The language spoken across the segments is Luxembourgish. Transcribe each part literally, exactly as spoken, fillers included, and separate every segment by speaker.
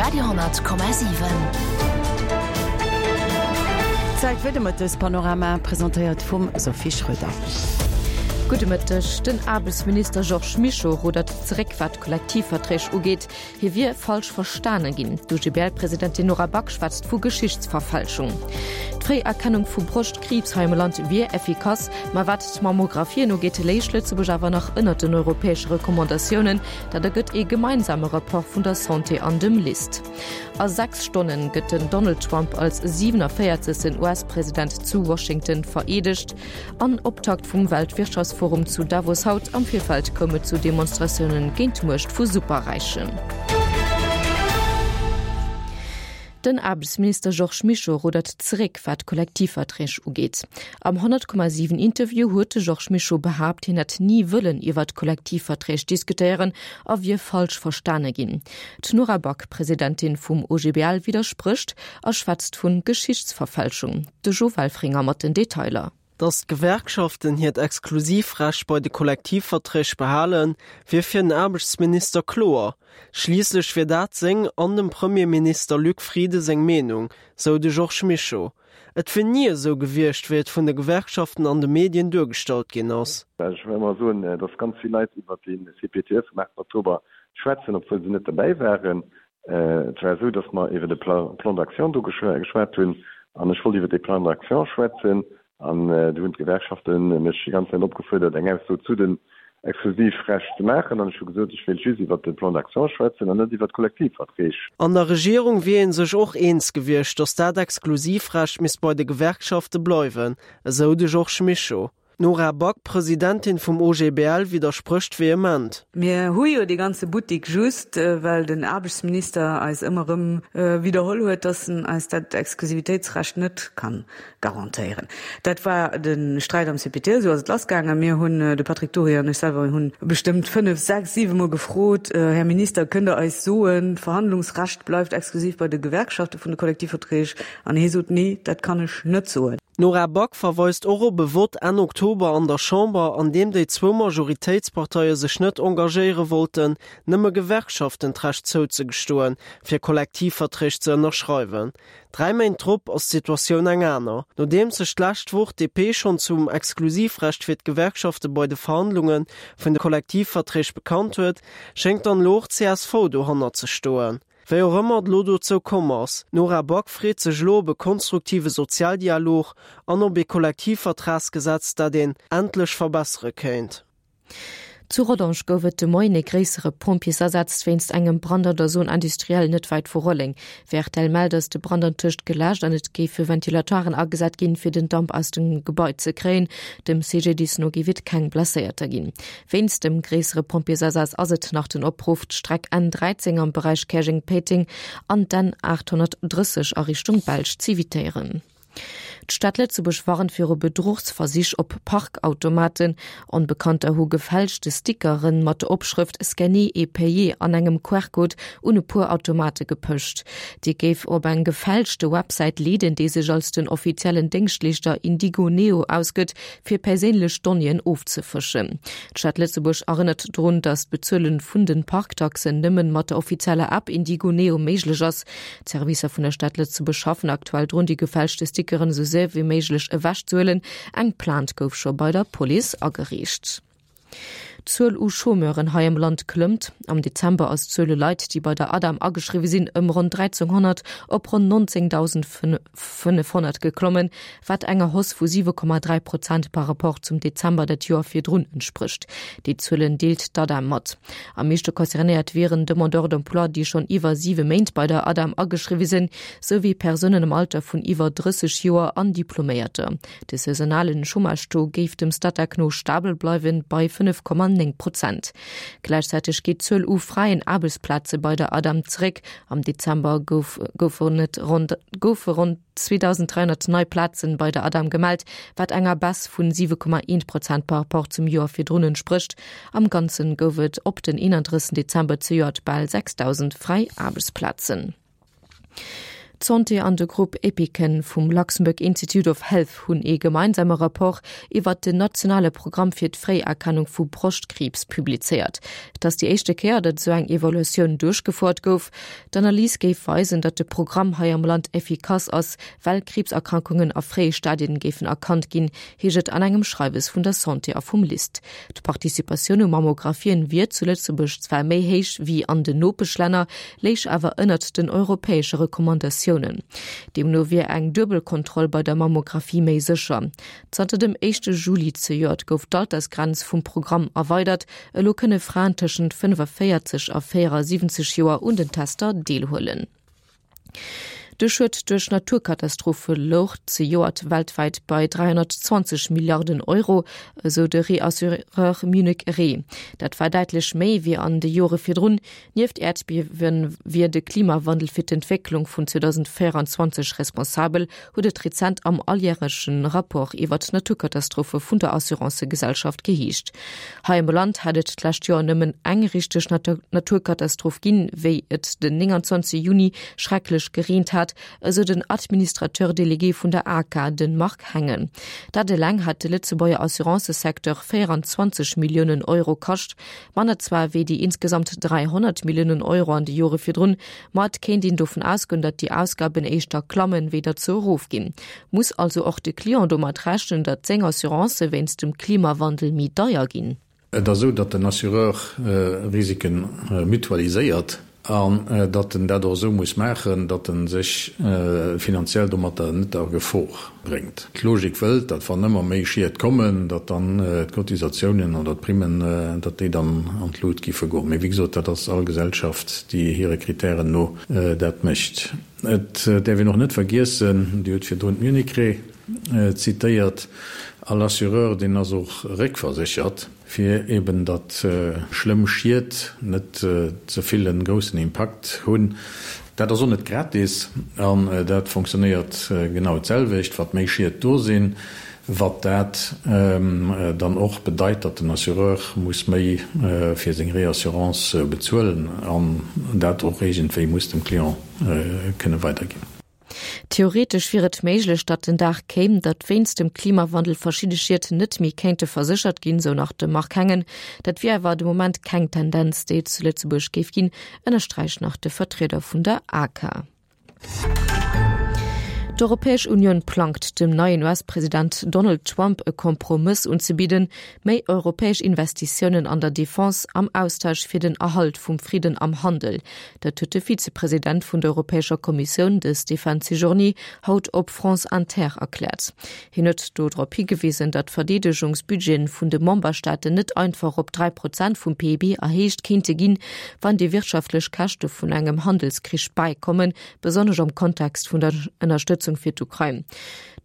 Speaker 1: Radio honnert Komma siwen.
Speaker 2: Zäit fir de Mëttespanorama, presentéiert vum Sophie Schröder.
Speaker 3: Gudde Mëtteg. Den Aarbechtsminister Georges Mischo rudert zeréck wat d'Kollektivverträg ugeet. Hie wier falsch verstane ginn. D'OGBL-Presidentin Nora Back schwätzt vu Geschichtsverfälschung. D'Fréierkennung vu Broschtkriibs hei am Land wier effikass, ma wat d'Mammographien ugeet, léich Lëtzebuerg awer nach ënnert den europäesche Recommandatiounen. Dat ergëtt ee gemeinsame Rapport vun der Santé an dem LIST. A sechs Stonne gëtt den Donald Trump als siwenavéierzegsten U S-President zu Washington vereedegt. An Optakt vum Weltwirtschaftsforum zu Davos haut, am Virfeld koum et zu Demonstratioune géint d'Muecht vu Superräichen. Den Aarbechtsminister Georges Mischo ruddert zeréck, wat d'Kollektivverträg ugeet. Am honnert Komma siwen Interview huet de Georges Mischo behaapt, hien hätt ni wëllen iwwer d'Kollektivverträg diskutéieren a wier falsch verstane ginn. D'Nora Back, Presidentin vum O G B L, widdersprécht a schwätzt vu Geschichtsverfälschung. De Jo Welfringer mat den Detailer.
Speaker 4: Datt d'Gewerkschaften hiert Exklusivrecht bei de Kollektivverträg behalen, wier fir den Aarbechtsminister kloer. Schliisslech wier dat seng an dem Premierminister Luc Frieden seng Meenung, sou de Georges Mischo. Et wier ni esou gewiescht, wéi et vun de Gewerkschaften an de Medien duergestallt ginn ass.
Speaker 5: Ech wëll emol soen, datt ganz vill Leit iwwer de C P T E vum aachten Oktober schwätzen, obwuel se net derbäi waren. Et war esou, datt mer iwwer de Plan d'action do geschwat hunn an ech wollt iwwer de Plan d'action schwätzen. An do hunn d'Gewerkschafte mech déi ganz Zäit opgefuerdert, eng Ausso zu den Exklusivrecht ze maachen. An ech hu gesot, ech wéilt just iwwert de Plan d'action schwätzen an net iwwert d'Kollektivverträg.
Speaker 4: An der Regierung wier ee sech och eens gewiescht, datt dat Exklusivrecht misst bei de Gewerkschafte bleiwen, esou de Georges Mischo. D'Nora Back, Presidentin vum O G B L, widdersprécht vehement.
Speaker 6: Mir hu jo dee ganze Buttik just, well den Aarbechtsminister eis ëmmer erëm widderholl huet, dass en eis dat Exklusivitéitsrecht net ka garantéieren. Dat war de Sträit am C P T, esou ass et lassgaangen. Mir hunn, de Patrick Dury an ech selwer, hunn bestëmmt fënnef, sechs, siwe Mol gefrot, Här Minister, kënnt Der eis soen, d'Verhandlungsrecht bleift exklusiv bei de Gewerkschafte vun de Kollektivverträg? An hie sot, Nee, dat kann ech net soen.
Speaker 4: D'Nora Back verweist och op e Vott Enn Oktober an der Chamber, an deem déi zwou Majoritéitsparteie sech net engagéiere wollten, nëmme Gewerkschaften d'Recht zouzegestoen, fir Kollektivverträg ze ënnerschreiwen. Dräi Méint drop ass d'Situatioun eng aner. Nodeems sech d'lescht Woch d'D P schonn zum Exklusivrecht fir d'Gewerkschafte bei de Verhandlunge vun de Kollektivverträg bekannt huet, schéngt dann elo och d'C S V dohannert ze stoen. Wéi och ëmmer et elo dozou komm ass, d'Nora Back freet sech elo op e konstruktive Sozialdialog an op ee Kollektivvertragsgesetz, dat een endlech verbessere kéint.
Speaker 3: Zu Rodange gouf et de Moien e gréissere Pompjeesasaz wéinst engem Brand an der Zone industrielle net wäit vu Rolleng. Wéi R T L mellt, ass de Brand antëscht geläscht an et géife Ventilateuren agesat ginn, fir den Damp aus dem Gebai ze kréien. Dem C G D I S no géif et keng Blesséierter ginn. Wéinst dem gréissere Pompjeesasaz ass et nach den Opruff, d'Streck N dräizéng am Beräich Käerjeng-Péiteng an d'N aathonnertdrësseg a Richtung Belsch z'evitéieren. D'Stad Lëtzebuerg warnt viru Bedruchsversich op Parkautomaten. Onbekannter hu gefälschte Stickeren mat der Opschrëft Scanner et payer an engem Q R-Code un e puer Automate gepecht. Déi géif op eng gefälschte Websäit leeden, déi sech als den offiziellen Déngschtleeschter Indigo Neo ausgëtt, fir perséinlech Donnéeën ofzefëschen. D'Stad Lëtzebuerg erënnert drun, datt d'Bezuele vun de Parktaxen nëmmen mat der offizieller App Indigo Neo méiglech ass. D'Servicer vun der Stad Lëtzebuerg schaffen aktuell drun, déi gefälschte Stickeren esou séier wéi méiglech ewechzehuelen. Eng Plainte gouf scho bei der Police agereecht. D'Zuel u Chômeuren hei am Land klëmmt. Am Dezember ass d'Zuel u Leit, déi bei der ADEM ageschriwwe sinn, ëm ronn dräizénghonnert op ronn nonzéngdausendfënnefhonnert geklommen, wat enger Hausse vu siwe Komma dräi Prozent par rapport zum Dezember dat Joer virdrun entsprécht. Déi Zuelen deelt d'ADEM mat. Am meeschte concernéiert wieren Demandeurs d'emploi, déi schonn iwwer siwe Méint bei der ADEM ageschriwwe sinn, souwéi Persounen am Alter vun iwwer drësseg Joer an Diploméierter. De saisonalen Chômage-Taux géif dem Statec no stabel bleiwen bei fënnef Komma néng Prozent. Gläichzäiteg geet d'Zuel u fräien Aarbechtsplaze bei der ADEM zeréck. Am Dezember gouf, goufen et ronn, goufe ronn zweedausend dräihonnert nei Plazen bei der ADEM gemellt, wat enger Baisse vun siwe Komma eent Prozent par rapport zum Joer virdrun entsprécht. Am Ganze gouf et op den eenandrëssegsten Dezember zejoert bal sechsdausend fräi Aarbechtsplazen. D'Santé an de Grupp EPICEN vum Luxembourg Institute of Health hunn ee gemeinsame Rapport iwwert den nationale Programm fir d'Fréierkennung vu Broschtkriibs publizéiert. Et ass déi éischte Kéier, datt esou eng Evaluatioun duerchgefouert gouf. D'Analys géif weisen, datt de Programm hei am Land effikass ass, well Kriibserkrankungen a fréie Stadien géifen erkannt ginn, heescht et an engem Schreiwes vun der Santé a vum LIST. D'Participatioun u Mammographien wier zu Lëtzebuerg zwar méi héich wéi an den Nopeschlänner, léich awer ënnert den europäesche Recommandatiounen. Deemno wier eng duebel Kontroll bei der Mammographie méi sécher. Zanter dem éischte Juli zejoert gouf d'Altersgrenz vum Programm erweidert, elo kënne Fraen tëschent fënnefaféierzeg a véierasiwwenzeg Joer un den Tester deelhuelen. De Schued duerch Naturkatastrophe louch zejoert weltwäit bei dräihonnertzwanzeg Milliarden Euro, esou de Reassureur Munich Re. Dat war däitlech méi wéi an de Jore virdrun. Nieft Äerdbiewe wier de Klimawandel fir d'Entwécklung vun zweedausendvéierundzwanzeg responsabel, huet et rezent am alljäreche Rapport iwwert d'Naturkatastrophe vun der Assurancëgesellschaft geheescht. Hei am Land hätt et d'lescht Joer nëmmen eng richteg Naturkatastroph ginn, wéi et den nénganzwanzeg Juni schrecklech gereent hat, esou den Administrateur délégué vun der ACA, de Marc Hengen. Dat eleng hätt de Lëtzebuerger Assurancësecteur véieranzwanzeg Milliounen Euro kascht, manner zwar wéi déi insgesamt dräihonnert Milliounen Euro an de Jore virdrun, ma et kéint een dovun ausgoen, datt déi Ausgaben éischter klammen, wéi datt se erofginn. Muss also och de Client domat rechnen, datt seng Assurancë wéinst dem Klimawandel méi deier ginn?
Speaker 1: Et ass esou, datt den Assureur Risike mutualiséiert an datt en dat och esou muss maachen, datt e sech finanziell domatter net a Gefor bréngt. D'Logik wëllt, datt wann ëmmer méi Schied kommen, datt dann d'Cotisatiounen oder d'Primmen, datt déi dann an d'Lut giffe goen. Mee wéi gesot, dat ass all Gesellschaft, déi hire Kritären no dat mécht. Et däerf een och net vergiessen, Dir hutt virdrun d'Munich Re zitéiert, all Assureur, deen ass och réckverséchert, fir eben datt schlëmm Schied net ze vill en groussen Impakt hunn. Dat ass och net gratis an dat fonctionnéiert genau d'selwecht, wat méi Schied do sinn, wat dat dann och bedeit, datt den Assureur muss méi fir seng Réassurance bezuelen an dat och iergendwéi muss dem Client kënne weiderginn.
Speaker 3: Theoretesch wier et méiglech, datt den Dag kéim, datt wéinst dem Klimawandel verschidde Schied net méi kéinte verséchert ginn, sou nach de Marc Hengen. Dat wier awer de Moment keng Tendenz, déi et zu Lëtzebuerg géif ginn, ënnersträicht nach de Vertrieder vun der ACA. D'Europäesch Unioun plangt, dem neien U S-President Donald Trump e Kompromëss unzebidden, méi europäesch Investitiounen an der Defense am Austausch fir den Erhalt vum Fridden am Handel. Dat huet de Vizepresident vun der Europäescher Kommissioun, de Stéphane Séjourné, haut op France Inter erkläert. Hien huet do drop higewisen, datt d'Verdeedegungsbudgeten vun de Memberstaaten net einfach op dräi Prozent vum P I B erhéicht kéinte ginn, wann déi wirtschaftlech Käschte vun engem Handelskrich bäikommen, besonnesch am Kontext vun der Ënnerstëtzung fir d'Ukrain.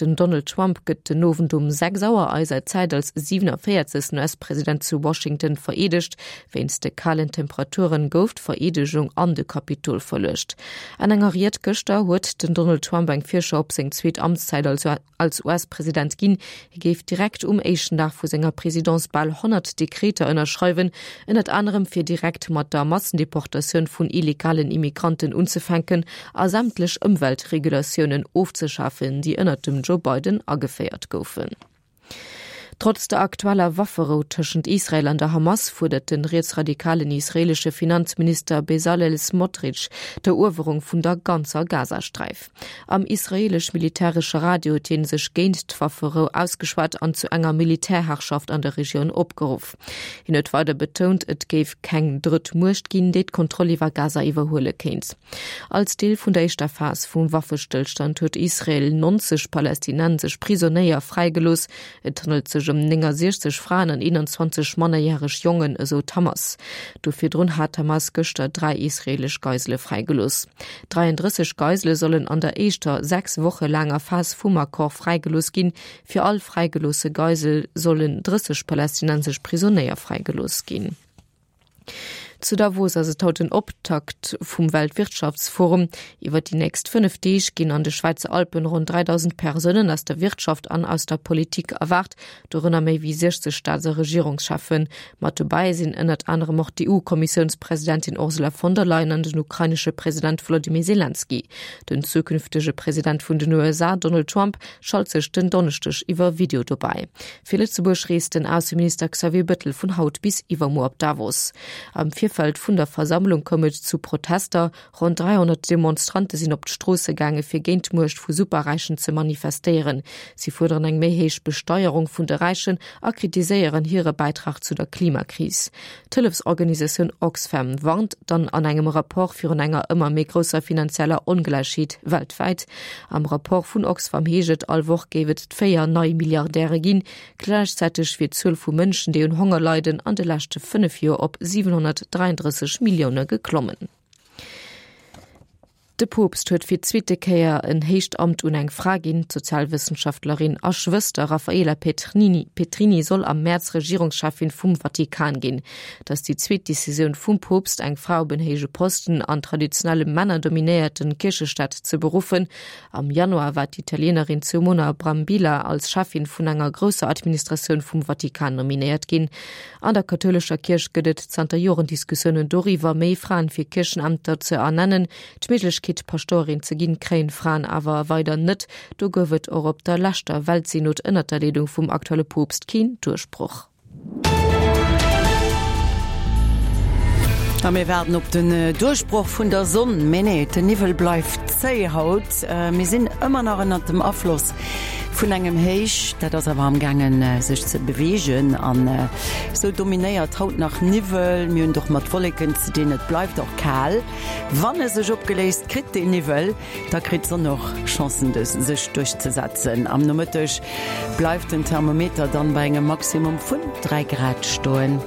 Speaker 3: Den Donald Trump gëtt den Owend um sechs Auer eiser Zäit als siewenundvéierzegsten U S-President zu Washington vereedegt. Wéinst de kalen Temperaturen gouf d'Vereedegung an de Kapitol verluecht. An enger Ried gëschter huet den Donald Trump eng Virschau op seng zweet Amtszäit als U S-President ginn. Hie géif direkt um éischten Dag vu senger Presidence bal honnert Dekreter ënnerschreiwen, ënnert anerem fir direkt mat der Massendeportatioun vun illegalen Immigranten unzefänken a sämtlech Ëmweltregulatiounen ofzeschafen, déi ënnert dem Joe Biden ageféiert goufen. Trotz der aktueller Wafferou tëschent Israel an der Hamas fuerdert de rietsradikalen israeelesche Finanzminister Bezalel Smotrich d'Eruewerung vun der ganzer Gazasträif. Am israeelesch-militäresche Radio huet hie sech géint d'Wafferou ausgeschwat an zu enger Militärherrschaft an der Regioun opgeruff. Hien huet weider betount, et géif keng drëtt Muecht ginn, déi d'Kontroll iwwer Gaza iwwerhuele kéint. Als Deel vun der éischter Phas vum Waffestëllstand huet Israel neunzeg palästinensesch Prisonéier fräigelooss. Et handelt sech ëm néngasechzeg Fraen an eenanzwanzeg mannerjäreg Jongen, esou d'Hamas. Do virdrun hat d'Hamas gëschter dräi israeelesch Geisele fräigelooss. Dräiandrësseg Geisele sollen an der éischter sechs Woche laanger Phas vum Accord fräigelooss ginn. Fir all fräigeloosse Geisel sollen drësseg palästinensesch Prisonéier fräigelooss ginn. Zu Davos ass et haut den Optakt vum Weltwirtschaftsforum. Iwwer déi nächst fënnef Deeg ginn an de Schwäizer Alpen ronn dräidausend Persounen aus der Wirtschaft an aus der Politik erwaart, dorënner méi wéi siechzeg Staats a Regierungscheffen. Mat dobäi sinn ënnert anerem och d'EU-Kommissiounspresidentin Ursula von der Leyen an den ukrainesche President Wolodymyr Selenskyj. Den zukünftege President vun den U S A Donald Trump schalt sech den Donneschdeg iwwer Video dobäi. Fir Lëtzebuerg reest den Ausseminister Xavier Bettel vun haut bis iwwermuer op Davos. Am Virfeld vun der Versammlung koum et zu Protester. Ronn dräihonnert Demonstrante sinn op d'Stroosse gaange fir géint d'Muecht vu Superräichen ze manifestéieren. Si fuerderen eng méi héich Besteierung vun de Räichen a kritiséieren hire Bäitrag zu der Klimakris. D'Hëllefsorganisatioun Oxfam warnt dann an engem Rapport virun enger ëmmer méi grousser finanzieller Ongläichheet weltwäit. Am Rapport vun Oxfam heescht et, all Woch géif et véier nei Milliardäre ginn. Gläichzäiteg wier d'Zuel vu Mënschen, déi un Honger leiden, an de leschte fënnef Joer op siwenhonnertdräiandrësseg Millioune geklommen. De Poopst huet fir d'zweete Kéier en héicht Amt un eng Fra ginn. D'Sozialwëssenschaftlerin a Schwëster Raffaella Petrini Petrini soll am Mäerz Regierungscheffin vum Vatikan ginn. Et ass déi zweet Decisioun vum Poopst, eng Fra op en héije Posten an traditionelle männerdominéierte Kierchestaat ze beruffen. Am Januar war d'Italienerin Simona Brambilla als Cheffin vun enger grousser Administratioun vum Vatikan nominéiert ginn. An der kathoulescher Kierch gëtt et zanter Joren Diskussiounen doriwwer, méi Fraen fir Kierchenämter ze ernennen. D'Méiglechkeet, Pastorin ze ginn, kréien Fraen awer weider net. Do gouf et och op der leschter Weltsynod ënnert der Leedung vum aktuelle Poopst keen Duerchbroch.
Speaker 2: A mir waarden op den Duerchbroch vun der Sonn, mee nee, den Niwwel bleift zéi haut. Mir sinn ëmmer nach ënnert dem Afloss vun engem Héich, dat ass awer am gaangen sech ze beweegen an esou dominéiert haut nach Niwwel. Mir hunn et och mat Wolleken ze dinn, et bleift och kal. Wann e sech opgeléist kritt deen Niwwel, da kritt d'Sonn och Chancen sech duerchzesetzen. Am Nomëtteg bleift den Thermometer dann bei engem Maximum vun dräi Grad stoen.